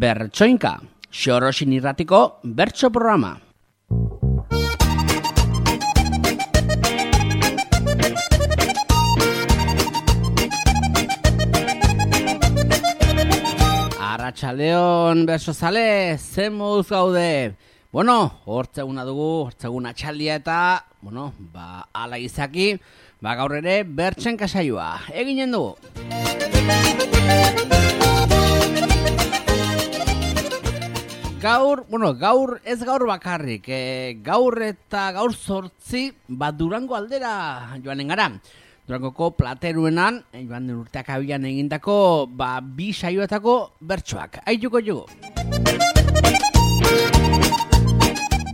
Bertsoinka, Xorosin irratiko bertso programa. Arratsaldeon bertsozale, zen moduz gaude? Bueno, hortzeguna dugu, hortzegun atxaldia eta, ala izaki, gaur ere bertsenka saioa eginen dugu. Gaur ez gaur bakarrik, gaur eta gaur 8 Durango aldera joanen gara. Durangoko Plateruenan, joan den urteak abian egindako, 2 saioetako bertsoak. Aituko jugu.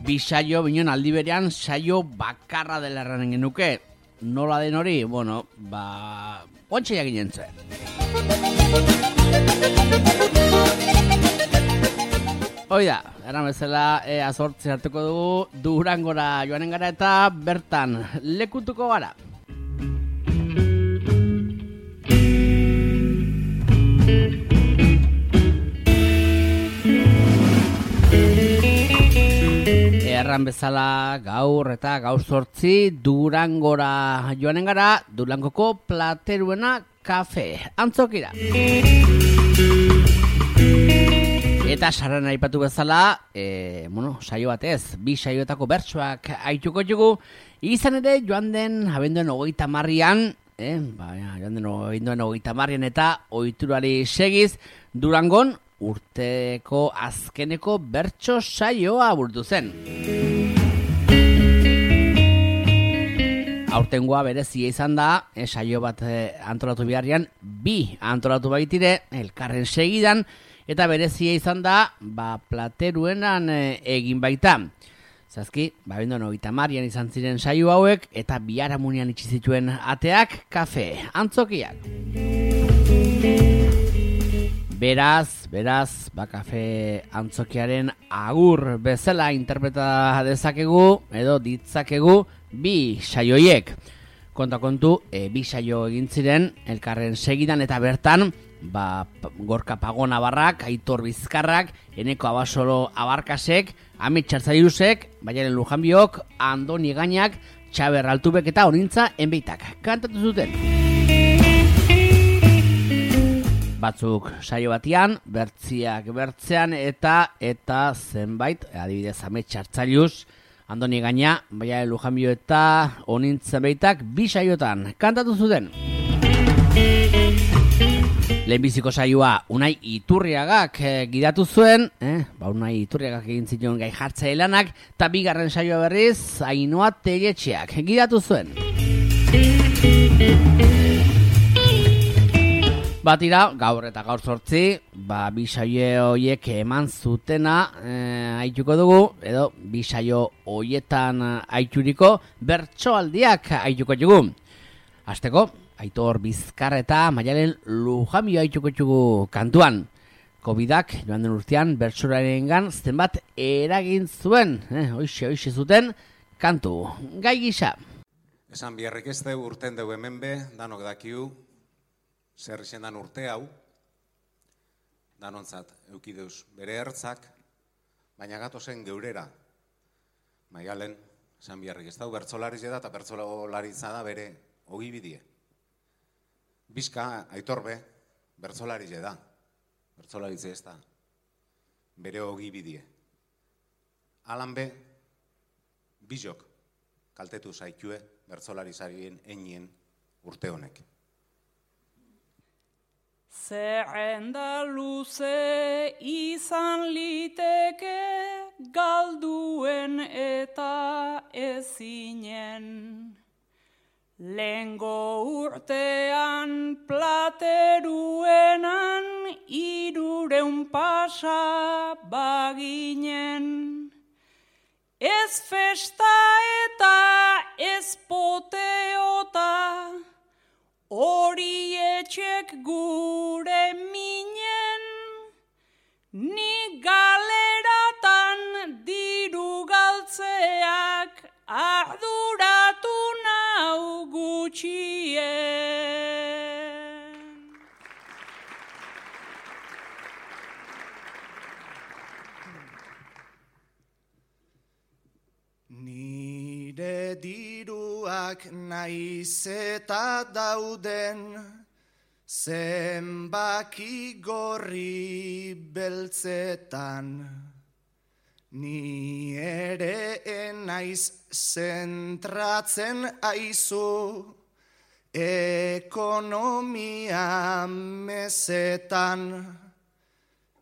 2 saio, binen aldi berean, saio bakarra dela erranen genuke. Nola den hori, ontsa ginen zuen. Oida, eran bezala, azortzi hartuko dugu, Durangora joanen gara eta bertan lekutuko gara. Erran bezala gaur eta gaur 8 Durangora joanen gara, Durangoko Plateruena kafe antzokira. Eta sarren aipatu bezala, saio batez, 2 saioetako bertsoak aituko jugu, izan ere joan den abenduan 30an, joan den abenduan 30an eta ohiturari segiz, Durangon urteko azkeneko bertso saioa burutu zen. Aurtengoa berezia izan da, saio bat antolatu beharrian, 2 antolatu baitire, elkarren segidan, eta berezia izan da, Plateruenan egin baita. Zazki, abenduan 30an izan ziren saio hauek, eta biharamunean itxi zituen ateak kafe antzokiak. Beraz, kafe antzokiaren agur bezala interpreta dezakegu, edo ditzakegu 2 saioiek. Kontu, 2 saio egin ziren, elkarren segidan eta bertan, Gorka Pagona Barrak, Aitor Bizkarrak, Eneko Abasolo Abarkasek, Amit Txartzailusek, Baiaren Lujanbiok, Andoni Gainak, Txaber Altubek eta Onintza Enbeitak kantatu zuten. Batzuk saio batian, bertziak bertzean eta zenbait, adibidez Amit Txartzailus, Andoni Gaina, Baiaren Lujanbio eta Onintza Enbeitak 2 saiotan kantatu zuten. Lehenbiziko saioa Unai Iturriagak gidatu zuen, Unai Iturriagak egin zion gai jartzaile lanak, eta 2. saioa berriz Ainhoa Telletxeak gidatu zuen. Batira, gaur eta gaur 8, 2 saio horiek eman zutena aituko dugu, edo 2 saio horietan aituriko bertsoaldiak aituko dugu. Hasteko, Aitor Bizkar eta Maialen Lujanbio aituko dugu kantuan. Covidak joan den urtean bertsorarengan zenbat eragin zuen, hoixe zuten kantu gai gisa. Esan biharrik ez deu urten deu hemen be, danok dakiu, zer izen dan urte hau, danontzat eukideuz bere ertzak, baina gatozen geurera. Maialen, esan biharrik ez deu bertsolariz da eta bertsolaritza da bere ogibidie. Bizka, Aitorbe, bertsolaritze da. Bertsolaritze ez da. Bere ogibidie. Alan be, bizok, kaltetu zaitue bertsolarizarien einien urte honek. Zerrenda luze izan liteke galduen eta ezinen. Lengo urtean Plateruenan 300 pasa baginen. Ez festa eta ez poteota, hori etxek gure minen. Ni galeratan diru galtzeak arduratu nau gutxien. diruak naiz eta dauden, zenbaki gorri beltzetan. Ni ere enaiz zentratzen aizu, ekonomia mezetan.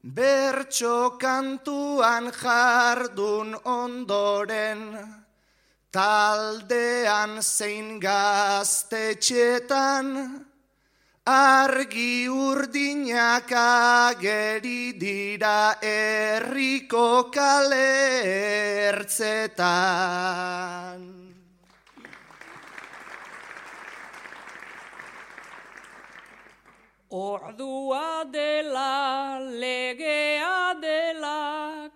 Bertso kantuan jardun ondoren, taldean zein gaztetxetan, argi urdinak ageri dira herriko kale ertzetan. Ordua dela, legea dela,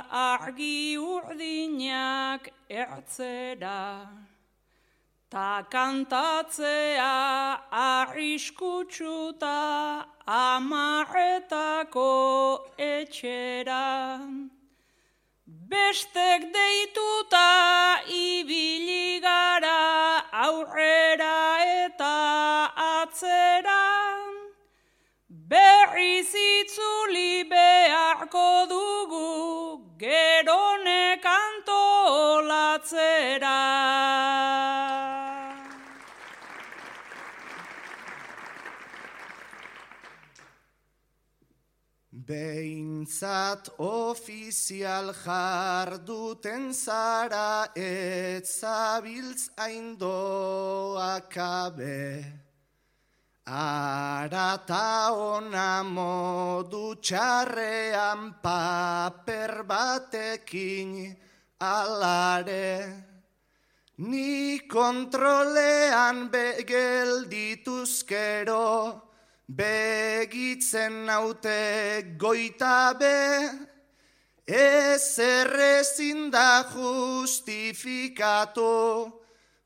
argi urdinak ertzera. Ta kantatzea arriskutsuta amaretako etxera. Bestek deituta ibili gara aurrera eta atzera. Berriz itzuli beharko dugu gerone kantolatzera. Behintzat ofizial jarduten zara, ez zabiltz aindoakabe. Arata ona modu txarrean paper batekin alare. Ni kontrolean geldituzkero, begitzen naute goitabe, ezer ezin da justifikatu,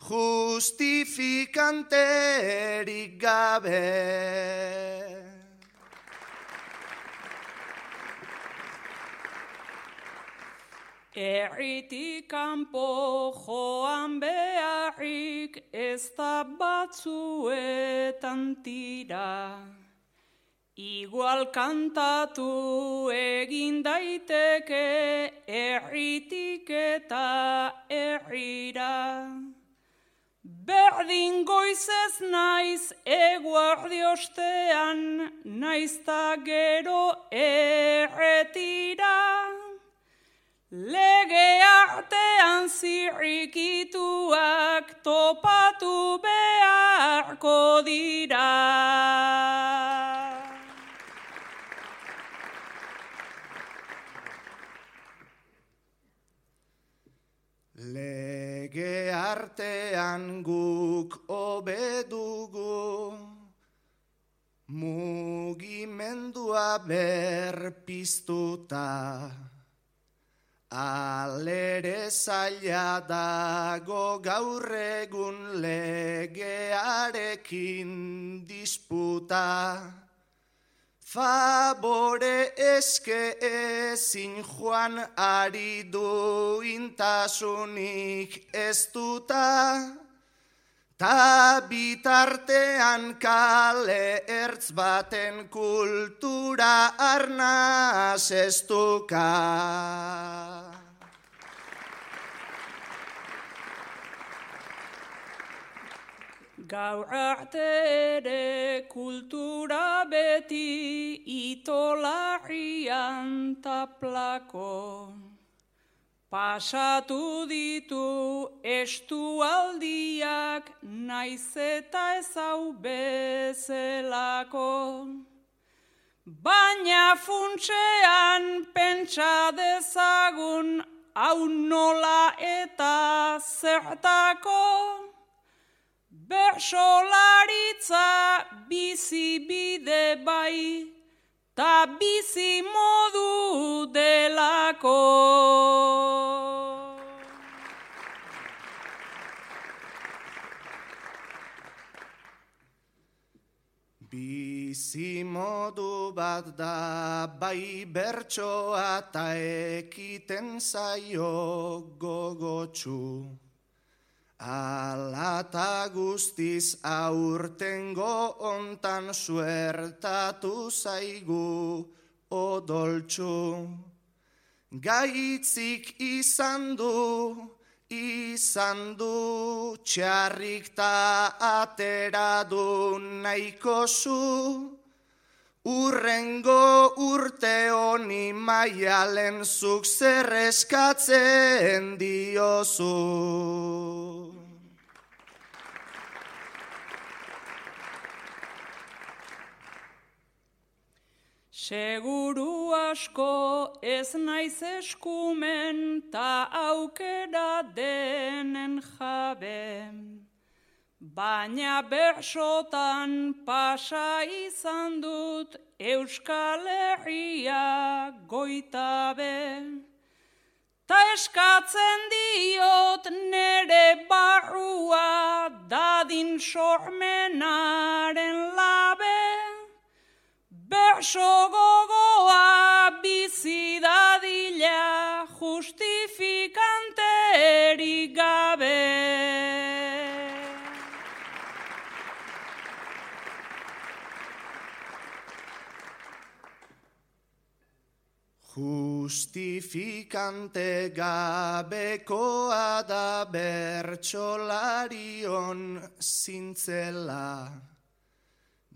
justifikanterik gabe. Herritik kanpo joan beharrik ez da batzuetan tira. Igual kantatu egin daiteke herritik eta herrira. Berdin goizez naiz eguerdi ostean, naizta gero erretira. Lege artean zirrikituak topatu beharko dira. Lege artean guk hobe dugu, mugimendua berpiztuta. Alere zaila dago gaur egun legearekin disputa. Favore eske ezin joan ari duintasunik ez duta, ta bitartean kale ertz baten kultura arnaz ez duka. Gaur arte ere kultura beti itolarrian taplako. Pasatu ditu estualdiak naiz eta ez hau bezelako. Baina funtsean pentsa dezagun hau nola eta zertako. Bersolaritza bizi bide bai, ta bizi modu delako. Bizi modu bat da bai bertsoa ta ekiten zaio gogotsu. Alata guztiz aurtengo ontan suertatu zaigu odoltsu. Gaitzik izan du txarrik ta atera du nahiko zu. Urrengo urte honi maialen zuk zer eskatzen diozu. Seguru asko ez naiz eskumen ta aukera denen jabe. Baina bersotan pasa izan dut Euskal Herria goitabe. Ta eskatzen diot nere barrua dadin sormenaren labe. Berso gogoa bizi dadila justifikanterik gabe. Justifikante gabekoa da bertsolarion zintzela.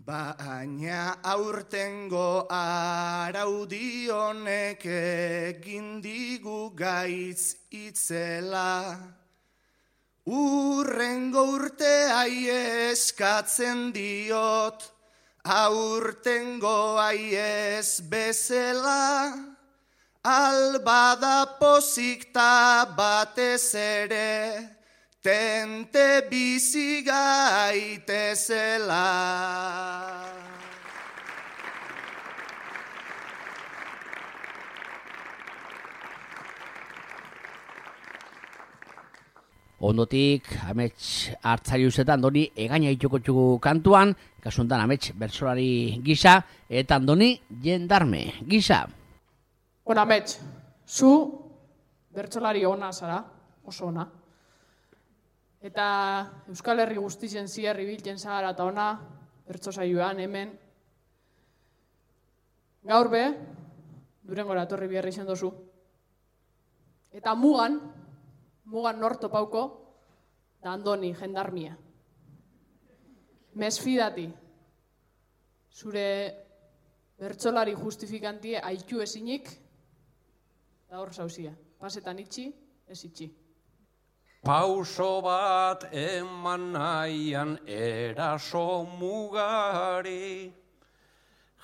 Baina aurtengo araudionek egin digu gaitz itzela. Urrengo urteai eskatzen diot, aurtengo aiez bezala. Albada pozikta batez ere, tente bizi gaitezela. Ondotik, amets hartzaiuzetan Andoni egaina itxoko txugu kantuan, kasuntan amets bersolari gisa, eta Andoni jendarme gisa. Bueno, amets, zu bertsolari ona zara, oso ona. Eta Euskal Herri guztien ziar ibiltzen zara eta ona, bertso saioan hemen. Gaur be, Durengora etorri behar izan dozu. Eta mugan nor topauko, da Andoni jendarmia. Mesfidati, zure bertsolari justifikantie aitu ezinik, da hor zauzia. Pasetan itxi, ez itxi. Pauso bat eman nahian eraso mugari,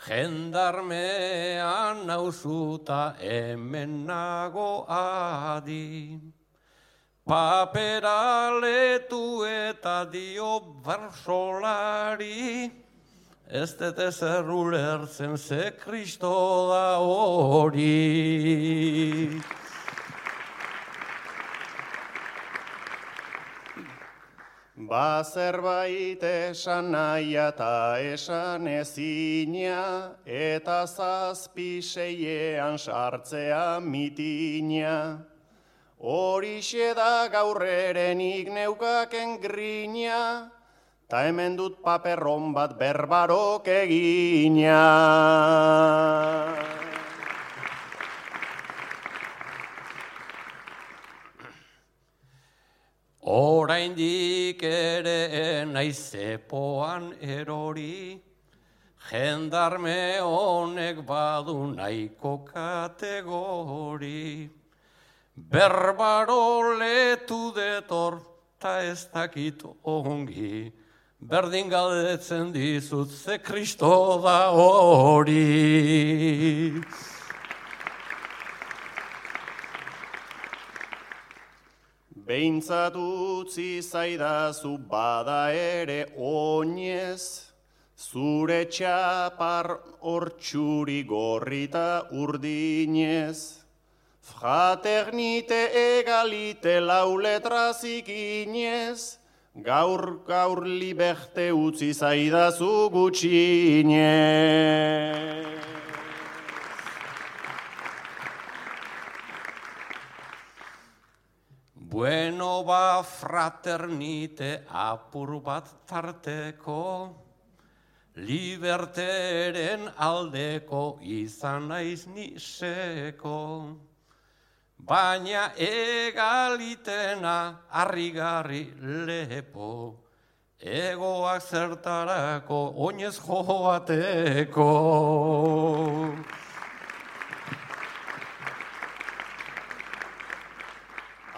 jendarmean nauzuta hemen nago adi. Papera letu eta dio bersolari, ez dut ezer ulertzen ze Kristo da hori. Zerbait esan nahia eta esan ezina, eta zazpi seiean sartzea mitina. Horixe da gaurrerenik neukaken grina, ta hemen dut paperron bat berbarok egina. Oraindik ere naiz zepoan erori, jendarme honek badu nahiko kategori. Berbaro letu detor, ta ez dakit ongi, berdin galdetzen dizut ze Kristo da hori. Behintzat utzi zaidazu bada ere oinez, zure txapar hortxuri gorrita urdinez. Fraternite egalite lau letrazik inez, gaur liberte utzi zaidazu gutxinez. Bueno ba fraternite apur bat tarteko, liberteren aldeko izan naiz niseko. Baina egalitena harrigarri lepo, egoak zertarako oinez joateko.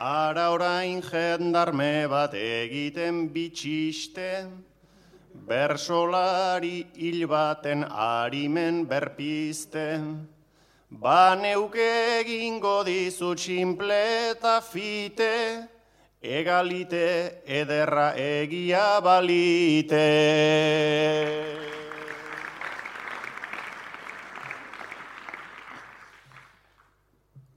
Ara orain jendarme bat egiten bitxiste, bersolari hil baten arimen berpiste. Ba neuke egingo dizut simple eta fite, egalite ederra egia balite.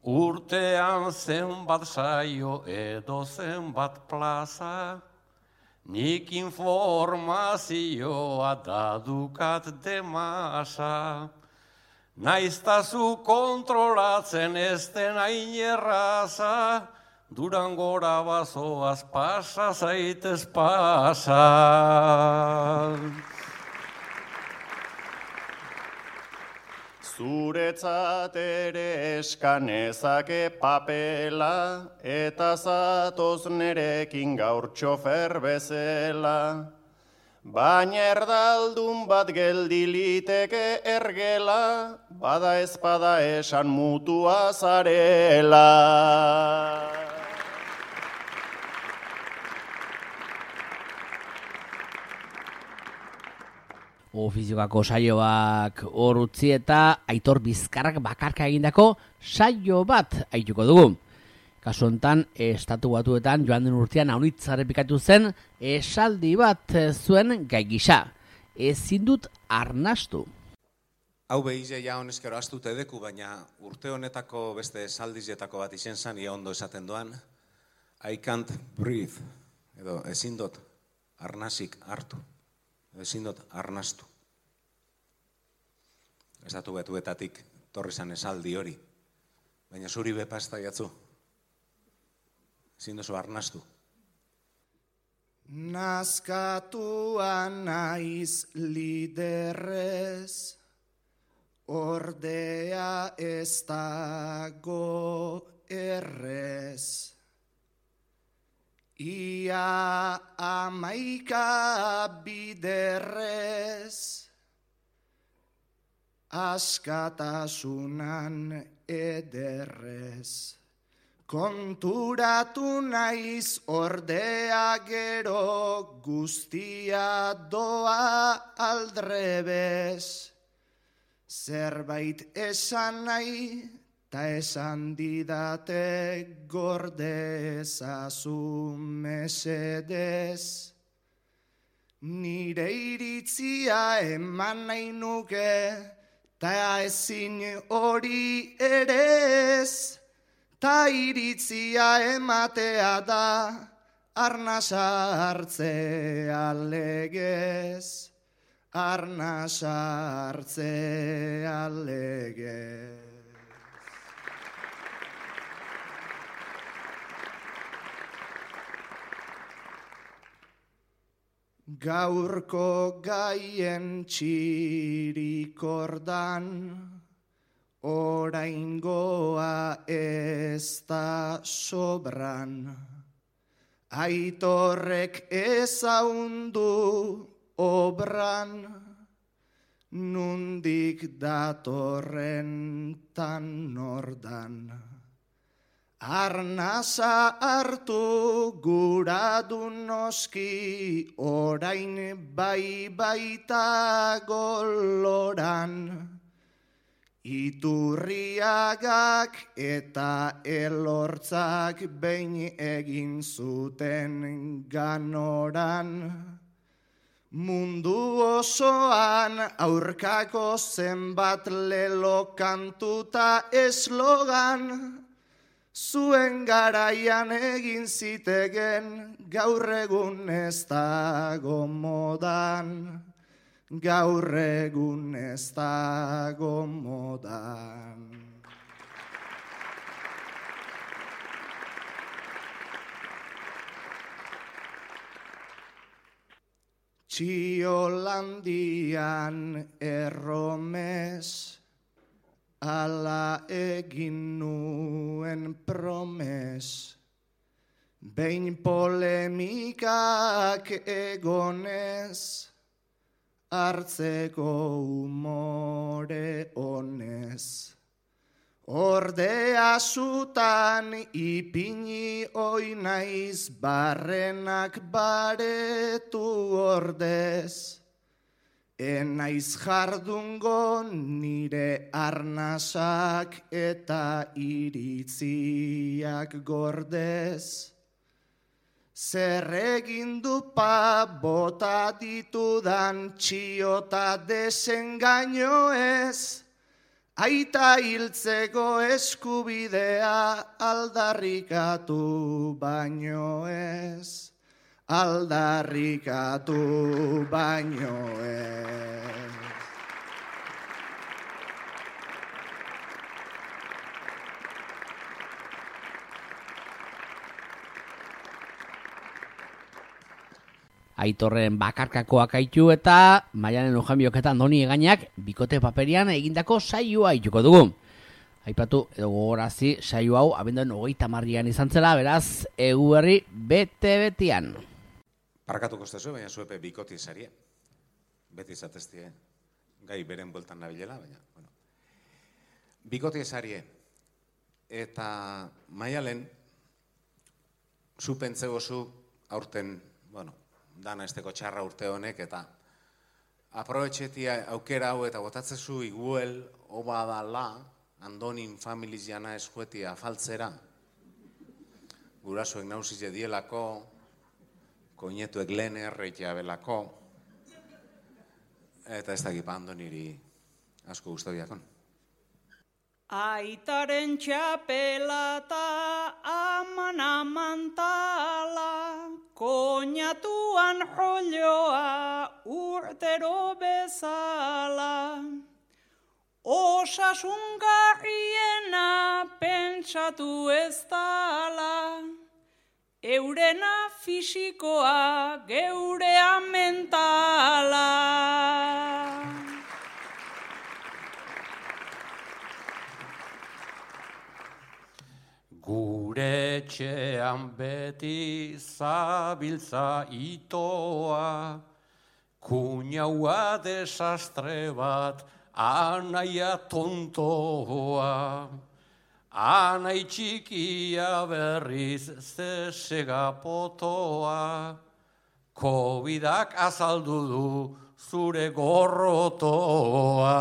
Urtean zenbat saio edo zenbat plaza, nik informazioa dadukat demasa. Naiztazu kontrolatzen ez den hain erraza, Durangora bazoaz pasa zaitez pasa. Zuretzat ere eskanezake papela, eta zatoz nerekin gaur txofer bezala. Baina erdaldun bat geldi liteke ergela, bada ezpada esan mutua zarela. Ofiziokako saioak hor utzi eta Aitor Bizkarrak bakarka egindako saio bat aituko dugu. Kasu hontan, Estatu Batuetan joan den urtean aunitz errepikatu zen esaldi bat zuen gai gisa. Ezin dut arnastu. Hau behize ja honezkero astute deku, baina urte honetako beste esaldizetako bat izen zan, ia ondo esaten doan, I can't breathe, edo ezin dut arnasik hartu. Ezin dut arnastu. Estatu Batuetatik torri zan esaldi hori. Baina zuri bepa ez da jatzu. Ezin duzu arnastu. Nazkatua naiz liderrez, ordea ez dago errez. Ia 11 biderrez, askatasunan ederrez. Konturatu naiz ordea gero guztia doa aldrebez. Zerbait esan nahi, ta esan didate gorde ezazu mesedez. Nire iritzia eman nahi nuke, ta ezin hori erez. Ta iritzia ematea da, arnasa hartzea legez. Arnasa hartzea legez. Gaurko gaien txirikordan, oraingoa ez da sobran. Aitorrek ezaundu obran, nundik datorren tan nordan. Arnasa hartu gura du noski, orain bai baita goloran. Iturriagak eta elortzak behin egin zuten ganoran. Mundu osoan aurkako zenbat lelo kantuta eslogan, zuen garaian egin zitegen, gaur egun ez dago modan. Gaur egun ez dago modan. Txiolandian erromes, ala egin nuen promes. Behin polemikak egonez, hartzeko umore honez. Ordea zutan ipini oinaiz, barrenak baretu ordez. Enaiz jardungo nire arnasak eta iritziak gordez. Zer egin du bota ditudan txiota desengaino ez, aita hiltzeko eskubidea aldarrikatu baino ez, aldarrikatu baino ez. Aitorren bakarkakoak aitu eta Maialen Lujanbiok eta Andoni Egainak bikote paperian egindako saioa aituko dugu. Aipatu edo gogorazi saio hau abenduaren 30 izan zela, beraz, Eguberri bete-betian. Parkatuko zezu, baina zuepe bikoti esarie. Beti izateztie, gai beren bueltan nabilela, baina, bueno. Bikoti esarie. Eta Maialen, zu pentzegozu aurten, bueno, dana esteko txarra urte honek, eta aprobetxetia aukera hau eta botatzezu iguel, oba dala, Andonin familiz jana eskuetia afaltzera, gurasoek nauzize dielako, koinetuek lehen erreitea belako, eta ez dakipa Andoniri asko guztabiakon. Aitaren txapelata aman amantala, koñatuan jolloa urtero bezala. Osasungarriena pentsatu ez dala, eurena fisikoa geurea mentala. Gure etxean beti zabiltza itoa, kuñaua desastre bat, anaia tontoa. Anai txikia berriz zesega potoa, Covidak azaldu du zure gorrotoa.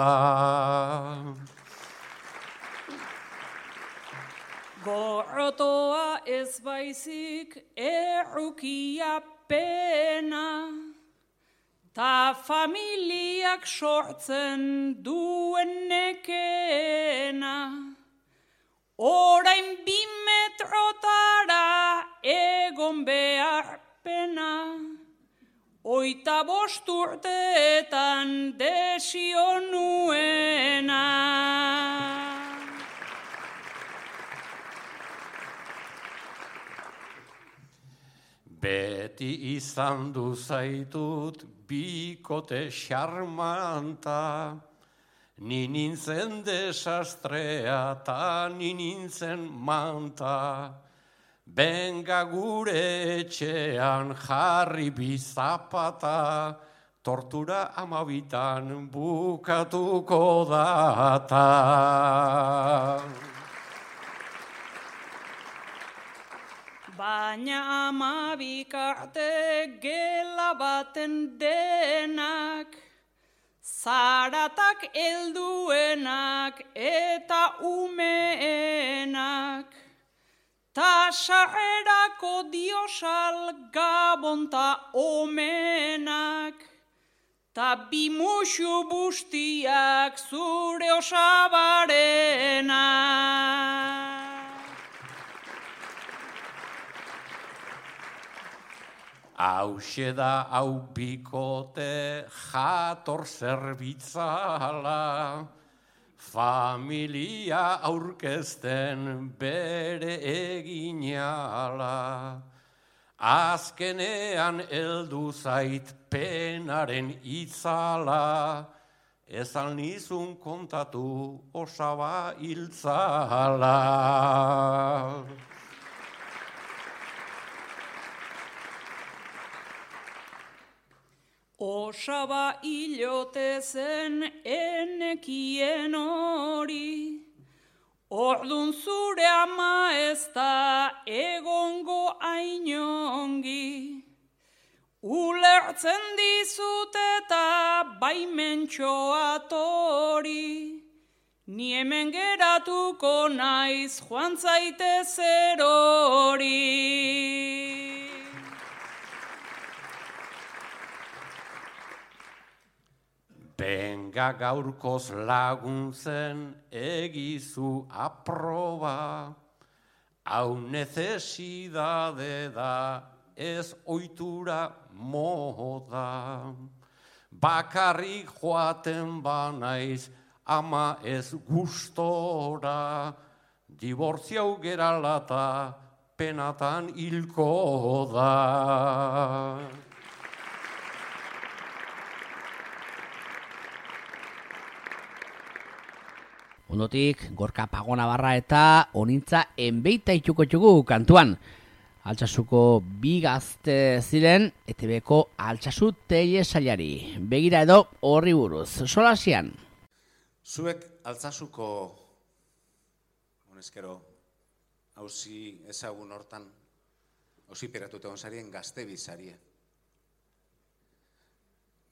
Gorrotoa ez baizik errukia pena, ta familiak sortzen duen nekena. Orain 2 metrotara egon behar pena, 25 urteetan desio nuena. Beti izan du zaitut bikote xarmanta, ni nintzen desastrea ta ni nintzen manta. Benga gure etxean jarri bizapata, tortura 12 bukatuko data. Baina 12 arte gela baten denak, zaratak helduenak eta umeenak, ta sarrerako diosal gabonta omenak, ta 2 musu bustiak zure osabarenak. Hauxe da hau bikote jator zerbitzala, familia aurkezten bere eginala. Azkenean heldu zait penaren itzala, ezan nizun kontatu osaba hiltzala. Osaba hilote zen enekien hori, ordun zure ama ez da egongo ainongi. Ulertzen dizut eta baimentxoa tori, ni hemen geratuko naiz joan zaitez erori. Benga gaurkoz laguntzen egizu aproba, hau necesidade da ez ohitura moda. Bakarrik joaten banaiz ama ez gustora, dibortziau geralata penatan hilko da. Ondotik, Gorka Pagonabarra eta Onintza enbeita ituko txugu kantuan. Altsasuko bi gazte ziren, ETB-ko Altsasu telesailari. Begira edo horri buruz. Solasian. Zuek Altsasuko, honezkero, hauzi ezagun hortan, hauzi peratute gonzarien gazte bizarie.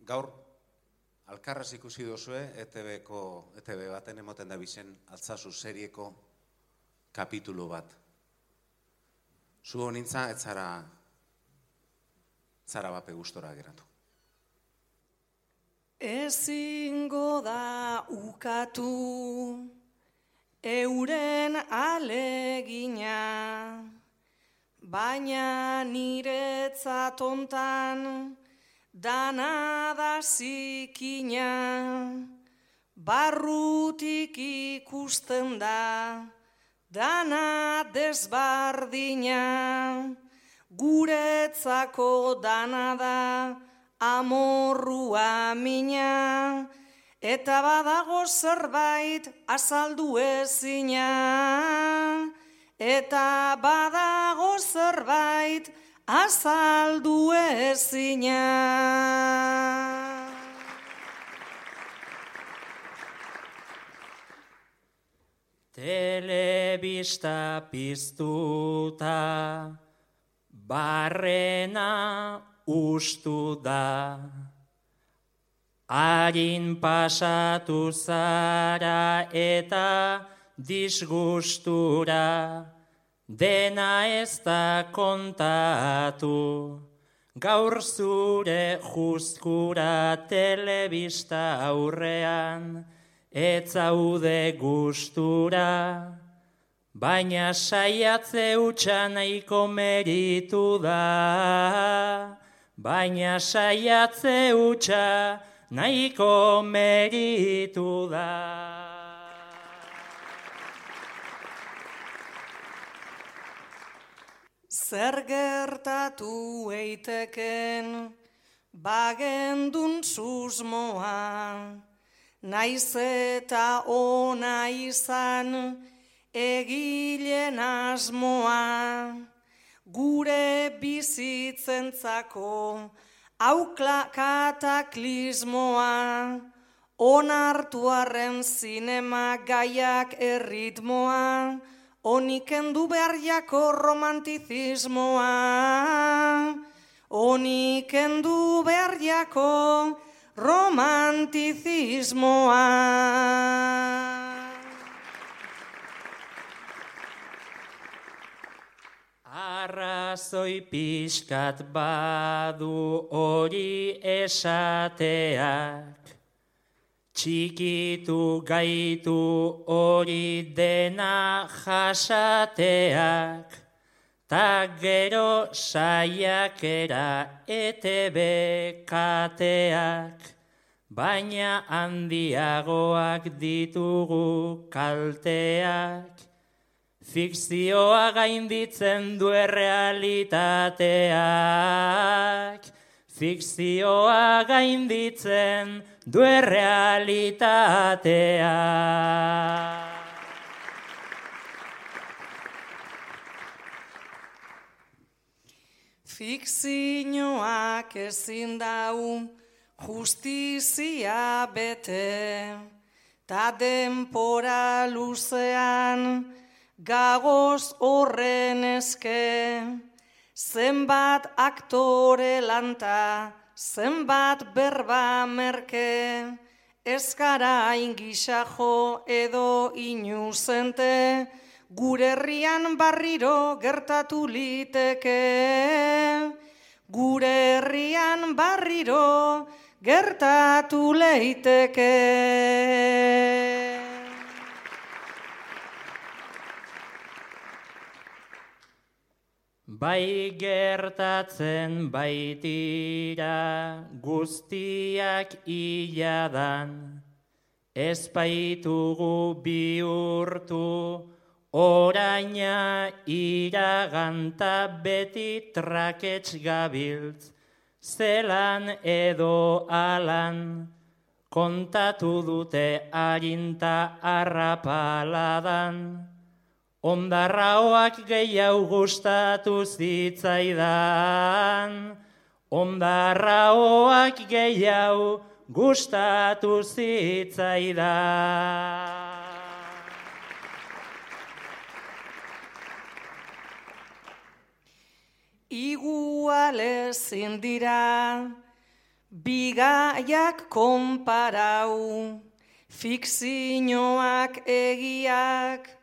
Gaur, alkarraz ikusi duzue, ETB baten emoten da bizen Altsasu serieko kapitulu bat. Zu honintza ez zara bape gustora geratu. Ezingo da ukatu euren alegina, baina niretzat hontan dana da zikina, barrutik ikusten da dana desbardina, guretzako dana da amorrua mina, eta badago zerbait azaldu ezina, eta badago zerbait azaldu ezina. Telebista piztuta, barrena ustu da, harin pasatu zara eta disgustura, dena ez da kontatu, gaur zure juzkura telebista aurrean, ez zaude gustura, baina saiatze hutsa nahiko meritu da, baina saiatze hutsa nahiko meritu da. Zer gertatu eiteken bagendun susmoa, naiz eta ona izan egilen asmoa, gure bizitzentzako kataklizmoa, onartu arren zinema gaiak erritmoa, onikendu behar jako romantizismoa, onikendu behar jako romantizismoa. Arrazoi pixkat badu hori esateak, txikitu gaitu hori dena jasateak, ta gero saiakera ETB kateak, baina handiagoak ditugu kalteak, Fikzioa gainditzen du errealitateak. Fikzioa gainditzen du errealitateak. Fikzioak ezin dau justizia bete, ta denpora luzean gagoz horren eske, zenbat aktore lanta, zenbat berba merke, ez gara ingisa jo edo inuzente, gure herrian barriro gertatu liteke. Gure herrian barriro gertatu leiteke. Bai gertatzen baitira guztiak iladan, ez baitugu bihurtu oraina iraganta beti trakets gabiltz, zelan edo alan, kontatu dute arinta arrapaladan. Ondarraoak gehiago gustatu zitzaidan, ondarraoak gehiago gustatu zitzaidan. Igual ezin dira bigaiak konparau, fikzioak egiak,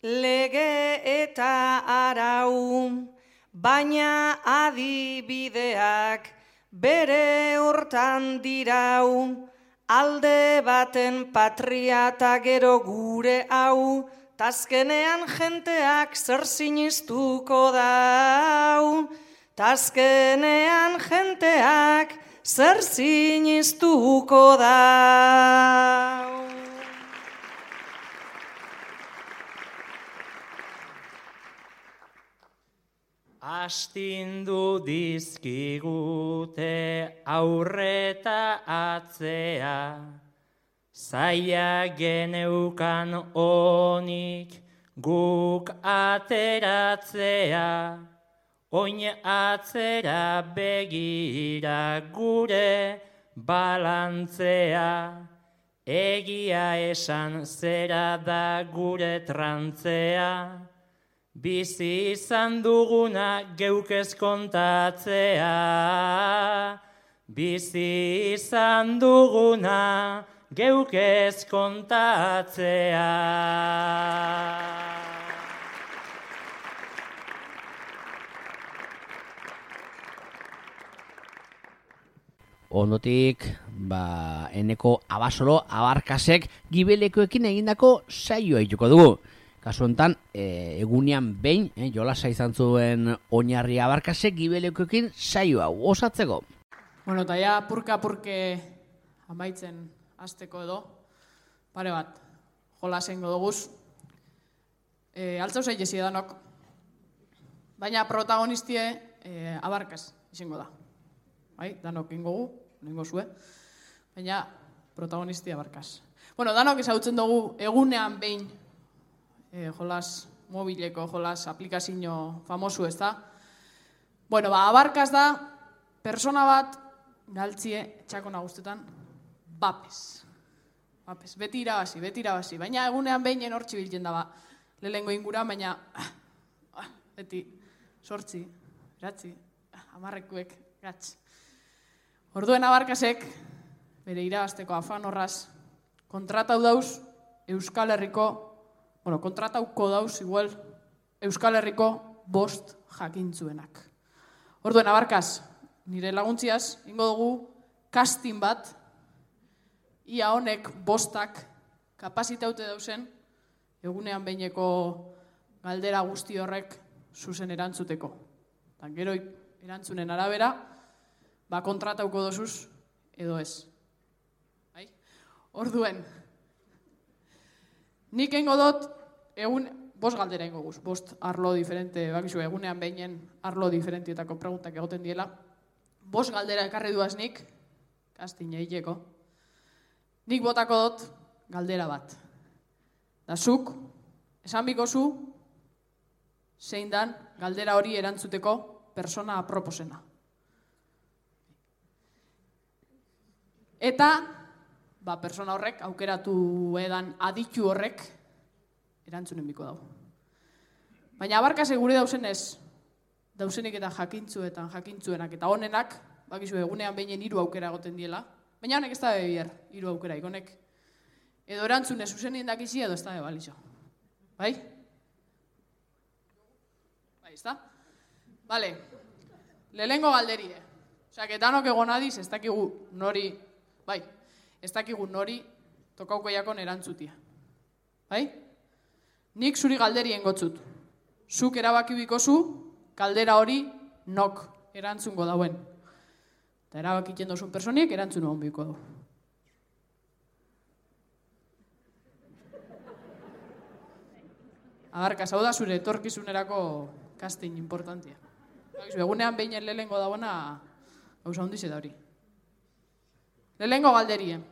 lege eta arau, baina adibideak bere hortan dirau, alde baten patria eta gero gure hau, tazkenean jenteak zer sinistuko dau, tazkenean jenteak zer sinistuko dau. Astindu dizkigute aurreta atzea, zaila geneukan onik guk ateratzea, oin atzera begira gure balantzea, egia esan zera da gure trantzea, bizi izan duguna geukez kontatzea, bizi izan duguna geukez kontatzea. Ondotik, eneko abasolo abarkasek gibelekoekin egindako saioa ituko dugu. Kasu honetan, egunean behin, jolasa izan zuen oinarri abarkasek gibelekoekin saioa osatzeko. Bueno, eta ja purka-purke amaitzen hasteko edo, pare bat, jolasengo duguz. Altzau zaitezi edanok, baina protagonistie abarkas izango da. Bai, danok ingogu, nengo zue, baina protagonistia abarkas. Bueno, danok ezagutzen dugu egunean behin jolas mobileko, jolas aplikazio famosu, ez da? Bueno, abarkas da, persona bat, galtzie, txako nagustetan, bapes. Beti irabazi. Baina egunean behin hortzi biltzen da, lehengo inguran, baina beti, sortzi, eratzi, amarrekuek, gatz. Orduen abarkasek, bere irabazteko afan horraz, kontratau dauz Euskal Herriko, kontratauko dauz igual Euskal Herriko 5 jakintzuenak. Orduen abarkaz, nire laguntziaz, ingo dugu casting bat, ia honek 5 kapazitaute dauzen, egunean behineko galdera guzti horrek zuzen erantzuteko. Tan gero erantzunen arabera, kontratauko dozuz edo ez. Orduen, nik engo dut bost galdera ingo guz, bost arlo diferente, bakizu egunean behinen arlo diferentietako preguntak egoten diela. Bost galdera ekarri duaz nik, kastin egiteko. Nik botako dut galdera bat. Da zuk, esan bikozu, zein dan galdera hori erantzuteko persona aproposena. Eta, persona horrek, aukeratu edan aditu horrek, erantzunen biko dago. Baina abarkase gure dauzenez, dauzenik eta jakintzuenak eta honenak, bakizu egunean behinen 3 aukera egoten diela, baina honek ez da bebier, 3 aukera ikonek. Edo erantzune zuzenien dakizi edo ez da bebalizo. Bai? Bai, ez da? Bale, lehengo galderie. Osak, etanok egon adiz, ez dakigu nori, ez dakigu nori tokauko jakon erantzutia. Bai? Nik zuri galderien gotzut. Zuk erabaki bikozu, galdera hori nok erantzungo dauen. Eta erabakiten dozun personiek erantzun hon biko du. Agarkaz, hau da zure etorkizunerako casting importantia. Egunean behinen lehengo dauena gauza hondiz eta hori. Lehengo galderien.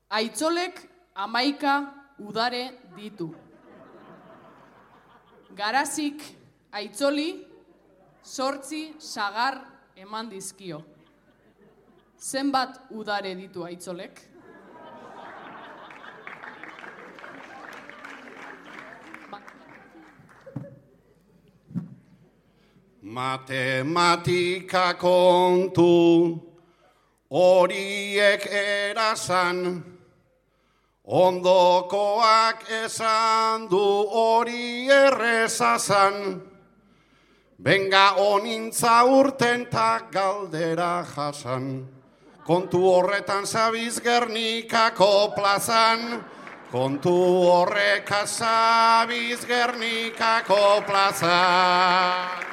Aitzolek 11 udare ditu. Garazik aitzoli 8 sagar eman dizkio. Zenbat udare ditu aitzolek? Matematika kontu horiek erasan, ondokoak esan du hori errezazan. Benga onintza urten ta galdera jasan, kontu horretan zabiz Gernikako plazan, kontu horreka zabiz Gernikako plazan.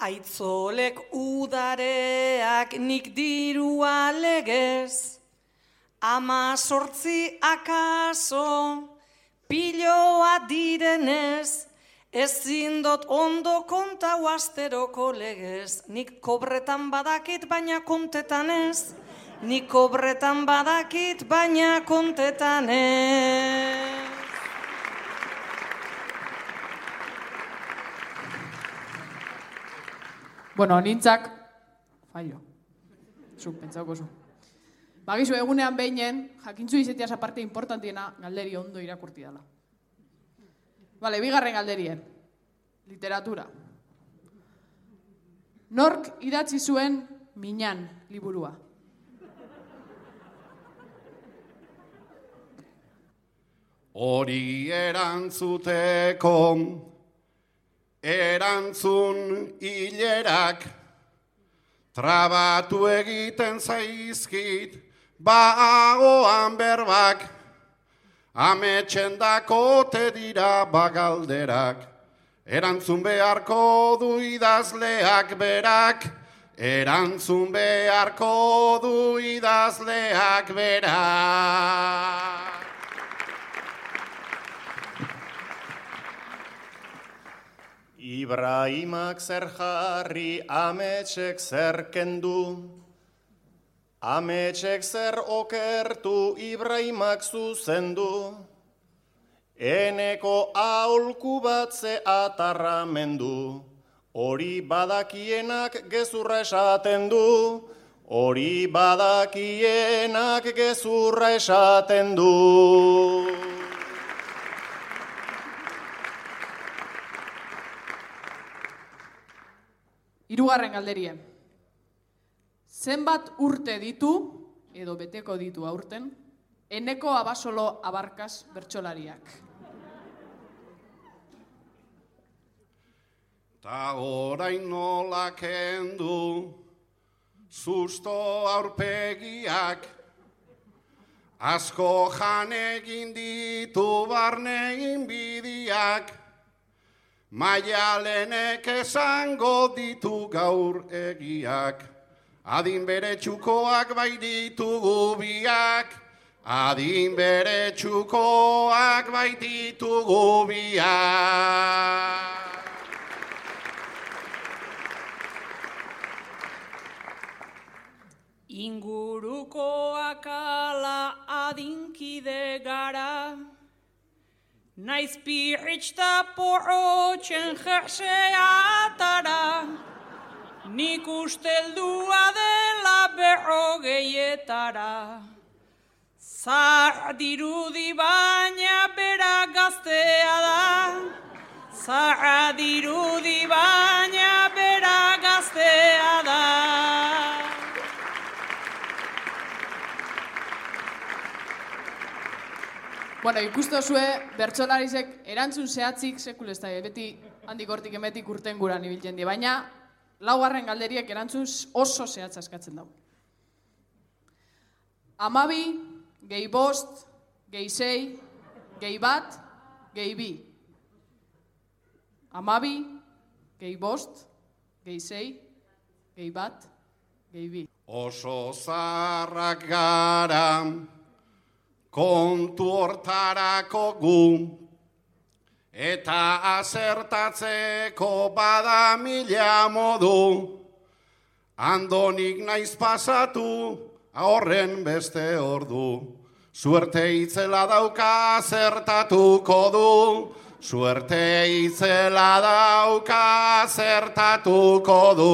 Aitzolek udareak nik dirua legez, 18 akaso piloa direnez, ezin dot ondo kontau asteroko legez. Nik kobretan badakit baina kontetan ez, nik kobretan badakit baina kontetan ez. Bueno, nintzak, fallo. Zuk, pentsauko zu. Bagizu egunean behinen, jakintzu izetiaz aparte importantiena galderi ondo irakurti dela. Bale, bigarren galderien. Literatura. Nork idatzi zuen Minan liburua? Hori erantzuteko erantzun hilerak trabatu egiten zaizkit bagoan berbak, ametxen dakote dira bagalderak, erantzun beharko du idazleak berak, erantzun beharko du idazleak berak. Ibrahimak zer jarri, ametxek zer kendu, ametxek zer okertu, Ibrahimak zuzendu, eneko aholku bat ze atarramendu, hori badakienak gezurra esaten du, hori badakienak gezurra esaten du. Hirugarren galderien. Zenbat urte ditu, edo beteko ditu aurten, Eneko Abasolo Abarkaz bertsolariak? Ta orain nola kendu, susto aurpegiak, asko jan egin ditu barne inbidiak, Maialenek esango ditu gaur egiak, Adin bere txukoak bai ditugu biak, adin bere txukoak bai ditugu biak. Ingurukoak ala adinkide gara, naiz pirritxta porrotxen jerseatara, nik usteldua dela 40etara. Zahar dirudi baina bera gaztea da, zahar dirudi baina bera gaztea da. Bueno, ikusten zue, bertsolarizek erantzun zehatzik sekul ez da, beti handik hortik emetik urten guran ibiltzen di, baina laugarren galderiek erantzun oso zehatza eskatzen dago. 12, gehi 5, gehi 6, gehi 1, gehi 2. 12, gehi 5, gehi 6, gehi 1, gehi 2. Oso zarrak gara, kontu hortarako gu, eta azertatzeko bada 1000 modu, andonik naiz pasatu, horren beste ordu, suerte itzela dauka zertatuko du, suerte itzela dauka zertatuko du.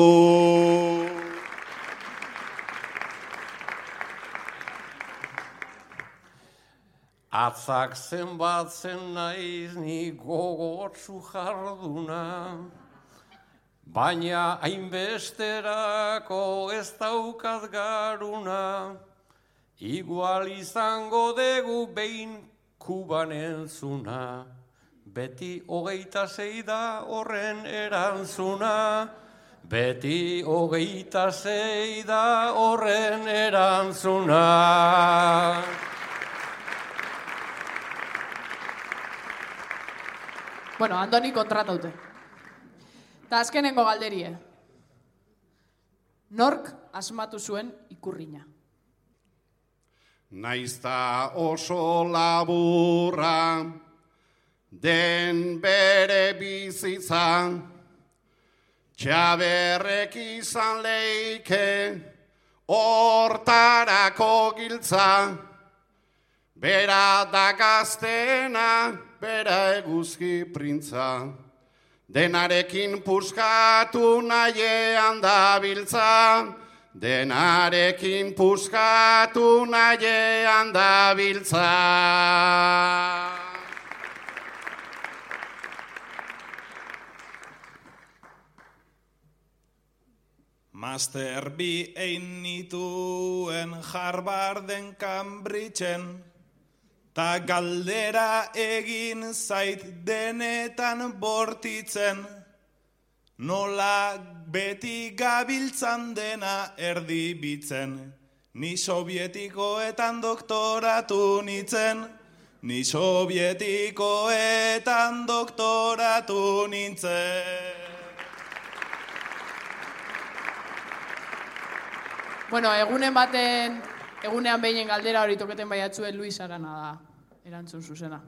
Atzak zenbatzen naiz ni gogotsu jarduna, baina hainbesterako ez daukat garuna, igual izango dugu behin Kuban entzuna, beti 26 da horren erantzuna, beti 26 da horren erantzuna. Bueno, Andoni kontrataute. Ta azkenengo galderie. Nork asmatu zuen ikurrina? Naizta oso laburra, den bere bizitza, txaberrek izan leike, hortarako giltza, bera da gaztena, bera eguzki printza, denarekin puskatu nahiean dabiltza, denarekin puskatu nahiean dabiltza. Master bi egin nituen Harvarden Cambridgeen, ta galdera egin zait denetan bortitzen, nola beti gabiltzan dena erdibitzen, ni sovietikoetan doktoratu nintzen, ni sovietikoetan doktoratu nintzen. Bueno, egunean behinen galdera hori toketen baiatzuen Luis Arana da erantzun zuzena.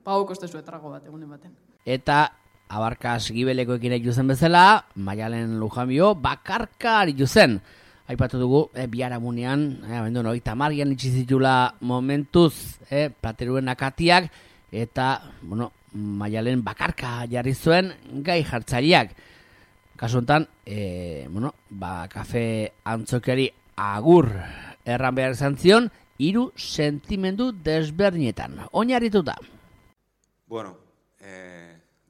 Pau kostezu etrago bat egunen baten. Eta abarkas gibelekoekin egin zen bezala, Maialen Lujambio bakarka aritu zen. Aipatu dugu, biharamunean, abendu hori tamarrian itxizitula momentuz, plateruen akatiak, eta, bueno, Maialen bakarka jarri zuen gai jartzaileak. Kasu honetan, kafe antzokiari agur erran behar izan zion, 3 sentimendu desberdinetan. Oinarrituta. Bueno,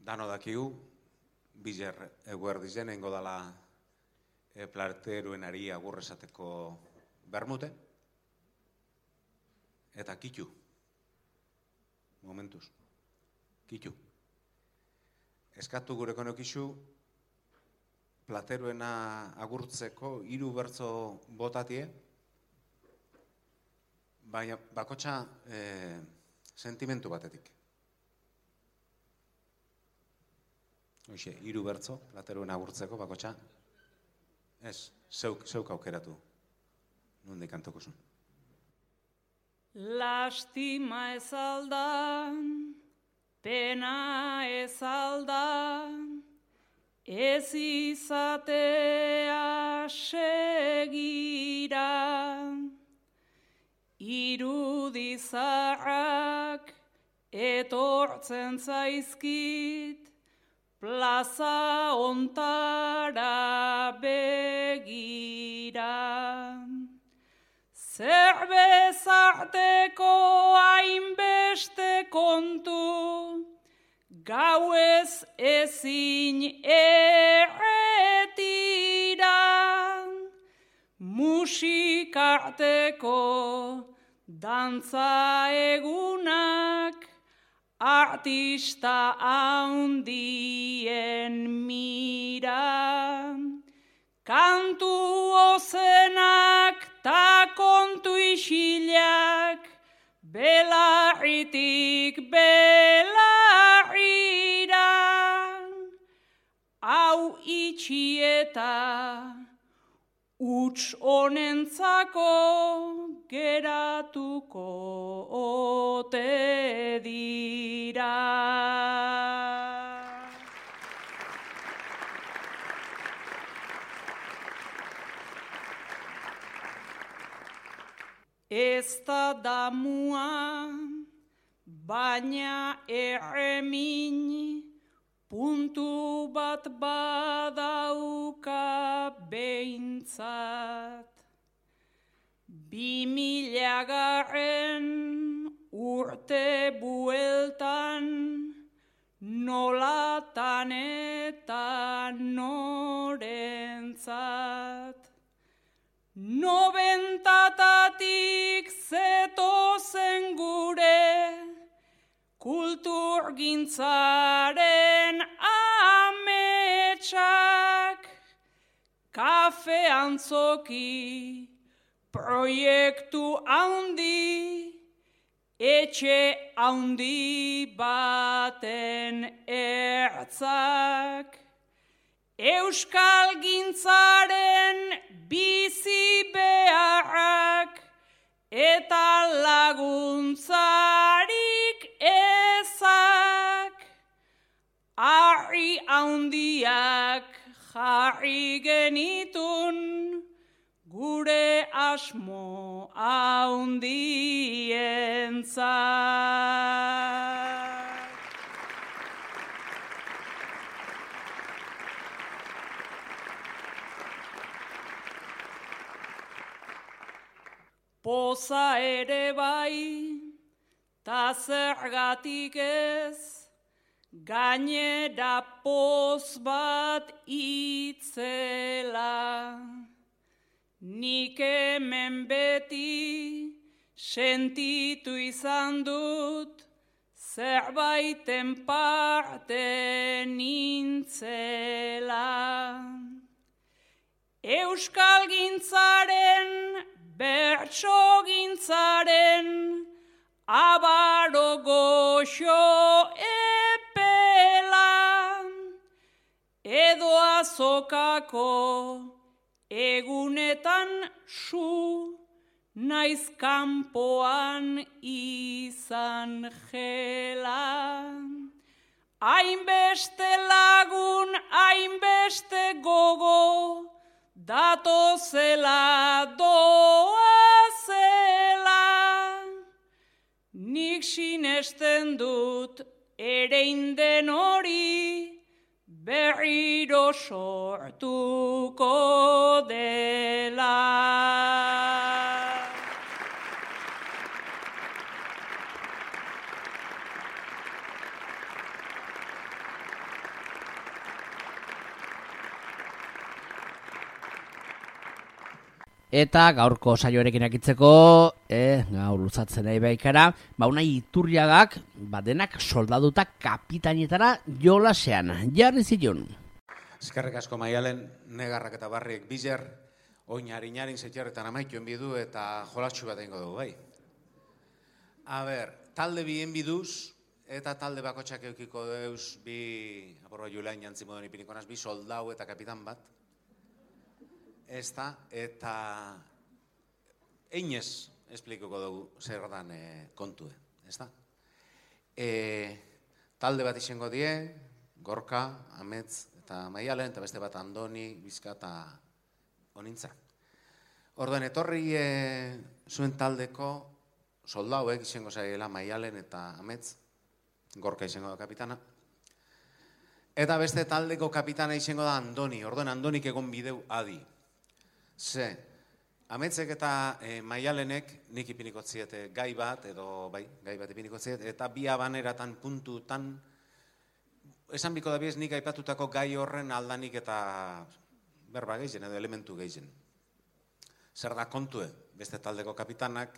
dano dakigu, bizer eguerdizen engo dala plateruenari agur esateko bermute, eta kitu. Momentuz. Kitu. Eskatu gure konokizu, plateruena agurtzeko 3 bertso botatie, baina bakotxa sentimentu batetik. Hoxe, 3 bertso plateruena agurtzeko bakotxa Ez, zeuk aukeratu. Nondik kantoko zuen. Lastima ez alda, pena ez alda, ez izatea segira. Irudizarrak etortzen zaizkit, plaza ontara begira. Zer bezarteko hainbeste kontu, gauez ezin erretira. Musikarteko dantza egunak, artista handien mira. Kantu ozenak ta kontu isilak, belarritik belarrira. Hau itxieta uts honentzako geratuko ote dira. Ez da damua, baina erremin, puntu bat badauka behintzat. 2000 urte bueltan, nolatan eta norentzat. 90tatik zetozen gure, kulturgintzaren ametsak, kafe antzoki, proiektu handi, etxe handi baten ertzak. Euskal gintzaren bizi beharrak eta laguntzarik ezak. Harri handiak jarri genitun gure asmo handientzat. Poza ere bai, ta zergatik ez, gainera poz bat itzela. Nik hemen beti sentitu izan dut, zerbaiten parte nintzela. Euskal gintzaren, bertso gintzaren, abaro goxo epela, edo azokako egunetan su, naiz kanpoan izan jela. Hainbeste lagun, hainbeste gogo, datozela doazela. Nik sinesten dut ereinden hori, berriro sortuko dela. Eta gaurko saioarekin akitzeko, gaur luzatzen nahi baikara, unai Iturriagak, badenak soldaduta kapitainetara jolasean, jarri zilun. Eskerrik asko Maialen, negarrak eta barriek bizer, oinarin zetxerretan amaituen bidu eta jolatxu bat egingo dugu, bai. Talde bien biduz, eta talde bakotxak eukiko deuz bi, aporba Julian jantzi moden ipinikonas, bi soldau eta kapitan bat. ez da, eta einez esplikoko dugu zer dan kontue, ez da? Talde bat izango die, Gorka, Amets eta Maialen, eta beste bat Andoni, Bizka eta Onintza. Orduan, etorri zuen taldeko soldauek izango zaiela Maialen eta Amets, Gorka izango da kapitana. Eta beste taldeko kapitana izango da Andoni, orduan Andonik egon bideu adi. Ze, Ametzek eta Maialenek nik ipinikoziet gai bat, edo bai, gai bat ipinikoziet, eta bi abaneratan puntutan, esan biko dabiez nik aipatutako gai horren aldanik eta berba gehien edo elementu gehien. Zer da kontue, beste taldeko kapitanak,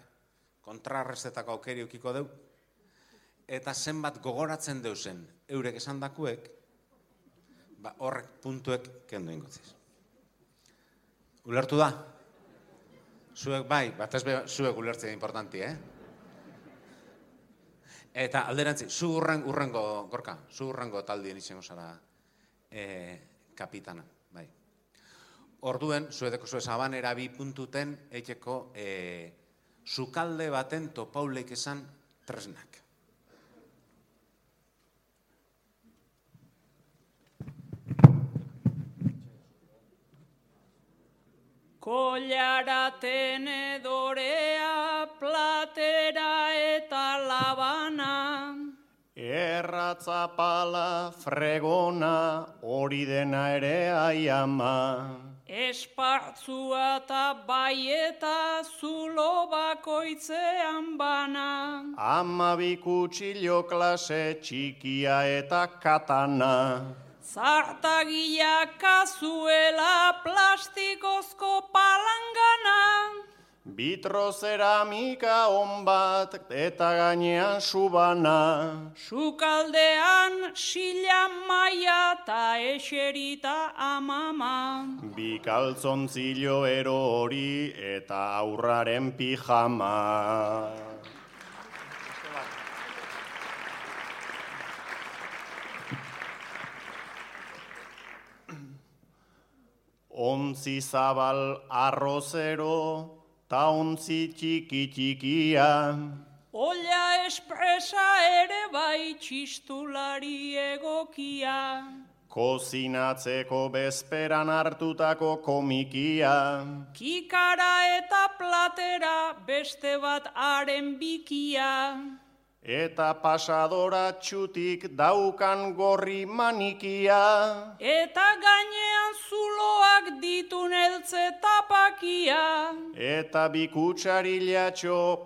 kontrarrestetako aukeri ukiko deu, eta zenbat gogoratzen deusen eurek esan dakuek, horrek puntuek kendu ingotziz. Ulertu da? Zuek bai, batez zuek ulertzea importanti, Eta alderantzi, zu urrengo, Gorka, zu urrengo taldien izango zara kapitana, bai. Orduen, zuedeko zue sabanera bi puntuten eiteko sukalde baten topauleik esan tresnak. Kollara, tenedorea, platera eta labana. Erratza, pala, fregona, hori dena ere aiama. Espartzua eta baieta, zulo bakoitzean bana. 12 kutxilo klase, txikia eta katana. Zartagia kazuela, plastikozko palangana. Vitrozeramika on bat eta gainean subana. Sukaldean sila maia eta eserita amama. Bi kaltzontzilo erori eta aurraren pijama. Ontzi zabal arrozero, ta ontzi txiki-txikia. Olla espresa ere bai txistulari egokia. Kozinatzeko bezperan hartutako komikia. Kikara eta platera beste bat haren bikia. Eta pasadora txutik daukan gorri manikia. Eta gainean zuloak ditun eltze tapakia. Eta bi kutsarilatxo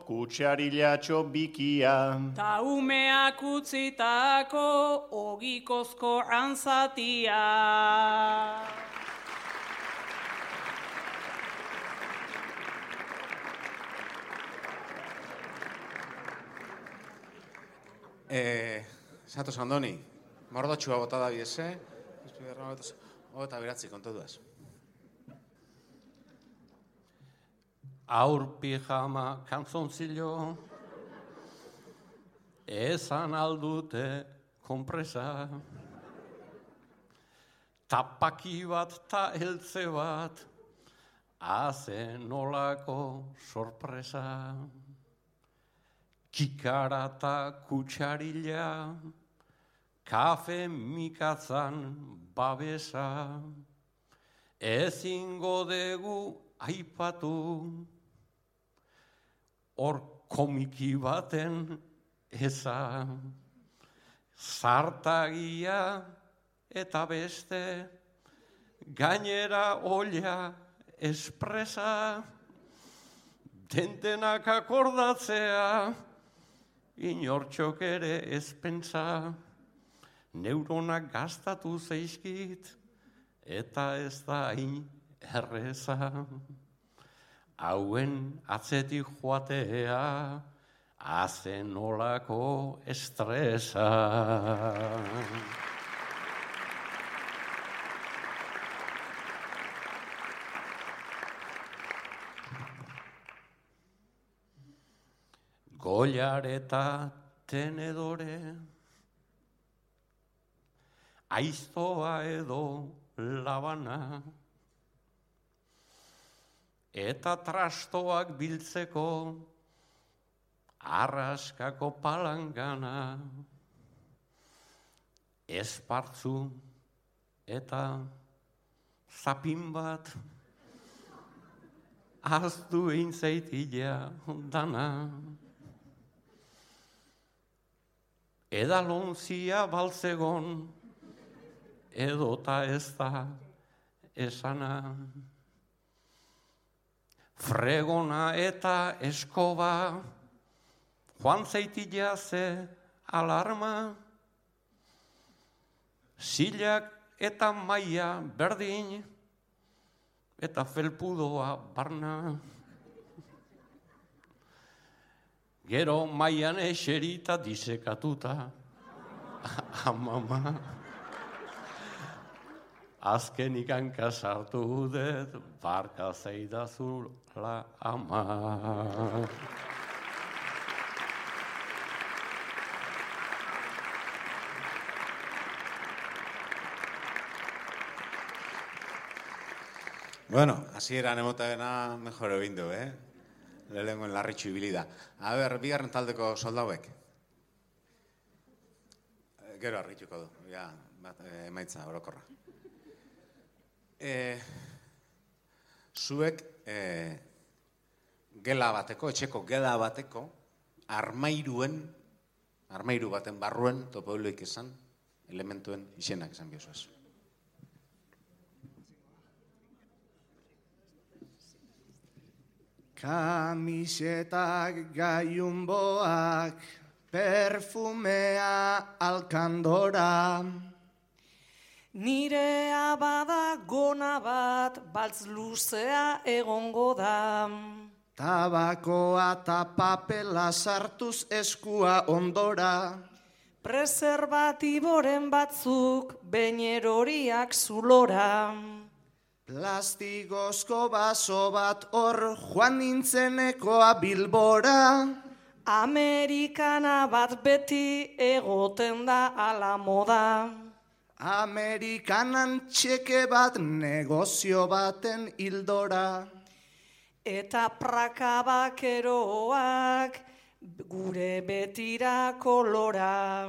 bikia. Ta umeak utzitako ogikozko antzatia. Zatoz Andoni, mordotxua bota da biese, eta beratzi, kontu duaz. Aur pijama kantzontzilo, esan aldute konpresa, tapaki bat ta eltze bat, haze nolako sorpresa. Kikara eta kutsarila, kafe mikatzan babesa, ezingo dugu aipatu, hor komiki baten eza, zartagia eta beste, gainera olla espresa, dentenak akordatzea, inortxok ere ez pentsa, neuronak gastatu zeizkit, eta ez da hain erreza. Hauen atzetik joatea, hazen nolako estresa. Gollar eta tenedore, aiztoa edo labana, eta trastoak biltzeko arraskako palangana, espartzu eta zapin bat, aztu eintzaitia dana. Edalontzia baltzegon, edota ez da esana. Fregona eta eskoba, joan zeitia ze alarma, zilak eta maia berdin, eta felpudoa barna. Gero maian eserita disekatuta, amama. Azkenik hanka sartu dut, barka zeidazula ama. Bueno, hasieran emotagena mejor egin du, Lehenengoen larritxu ibili da. Bigarren taldeko soldauek. Gero arrituko du, emaitza orokorra. Zuek gela bateko, etxeko gela bateko, armairu baten barruen, topoiloik esan, elementuen izenak esan biozuaz. Kamisetak, gaiunboak, perfumea, alkandora. Nirea bada gona bat, baltz luzea egongo da. Tabakoa eta papela sartuz eskua ondora. Preserbatiboren batzuk, beñeroriak zulora. Plastigozko baso bat hor joan nintzenekoa Bilbora. Amerikana bat beti egoten da ala moda. Amerikanan txeke bat negozio baten hildora. Eta praka bakeroak gure betira kolora.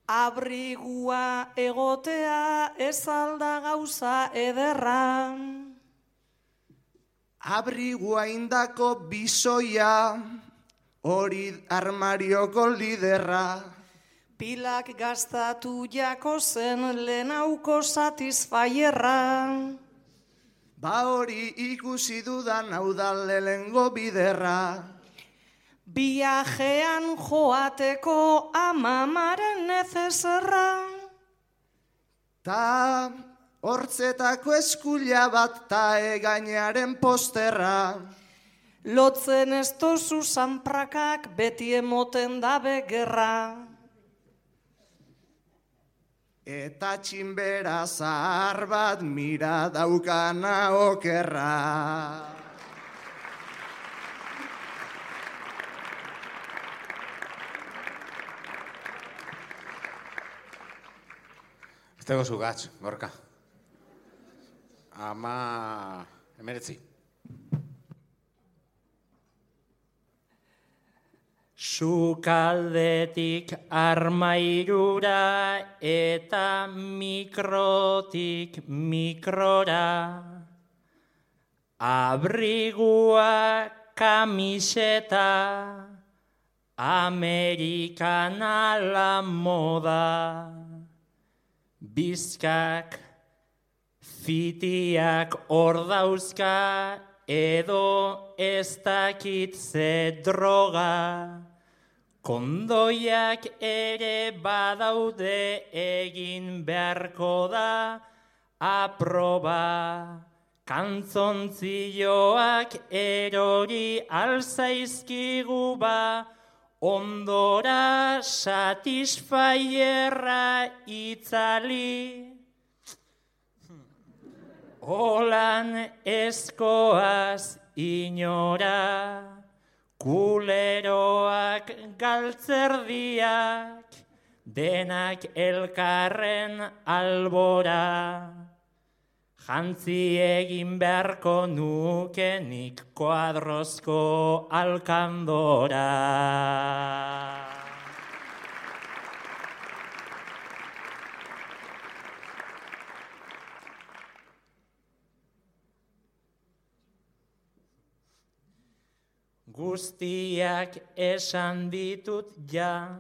Abrigua egotea ez alda gauza ederra. Abrigua indako bizoia, hori armarioko liderra. Pilak gaztatu jako zen lehenauko satisfaierra. Ba hori ikusi dudan hau da lehengo biderra. Biajean joateko amamaren nezezerra. Ta hortzetako eskuila bat ta egainearen posterra. Lotzen ez tozu zanprakak beti emoten dabe gerra. Eta txinbera zahar bat mira daukana okerra. Estego zu gatz, Gorka. 19. Sukaldetik armairura eta mikrotik mikrora. Abrigua kamiseta, Amerikana la moda. Bizkak, fitiak hor dauzka, edo ez dakit ze droga. Kondoiak ere badaude egin beharko da aproba. Kantzontzioak erori alzaizkigu ba, ondora satisfaierra itzali. Olan eskoaz inora, kuleroak galtzerdiak, denak elkarren albora. Jantzi egin beharko nukenik koadrozko alkandora. Guztiak esan ditut ja,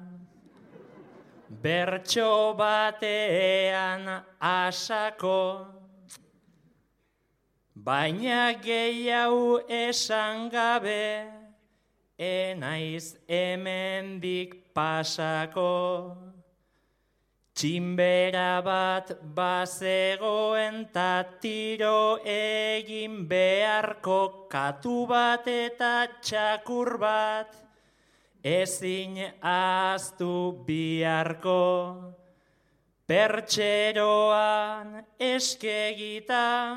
bertso batean asako, baina gehiago esan gabe, enaiz hemendik pasako. Txinbera bat bazegoen ta tiro egin beharko, katu bat eta txakur bat ezin ahaztu biharko. Pertxeroan eskegitan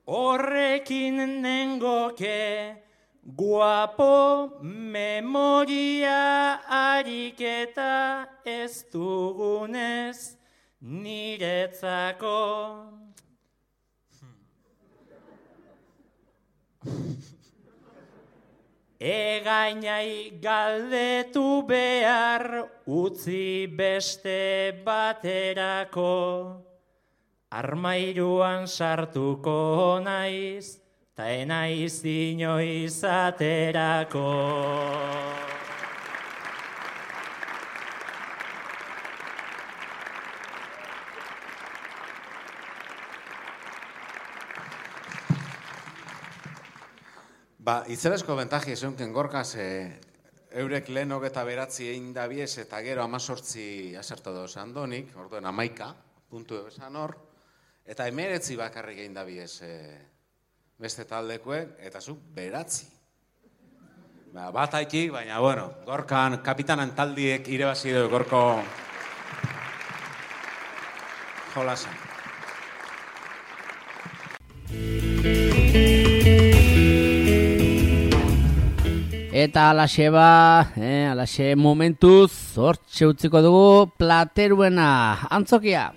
horrekin nengoke guapo memoria ariketa ez dugunez niretzako. Egainai galdetu behar utzi beste baterako, armairuan sartuko naiz, ta enaiz inoiz aterako. Itzelesko bentaji esunken gorkaz, eurek lehen hogeta beratzi egin dabiez, eta gero 18 aserto doz andonik, orduen 11 puntu esan hor, eta 19 bakarrik egin dabiez beste taldekuek, eta zu beratzi. Bat haikik, baina, bueno, gorkan kapitanan taldiek irebazi du gorko jolasan. Eta alaxe momentuz, hortxe utziko dugu Plateruena antzokia.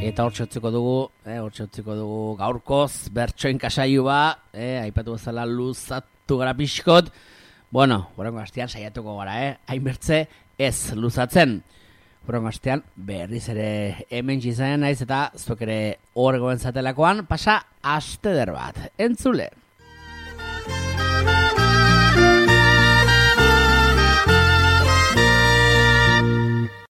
Eta hortxe utziko dugu gaurkoz bertsoen kasaioa, aipatu bezala luzatu gara pixkot. Bueno, horrengo astean saiatuko gara, hainbertze ez luzatzen. Horrengo astean berriz ere hemen izan naiz eta zuek ere hor goen zatelakoan pasa aste der bat. Entzule!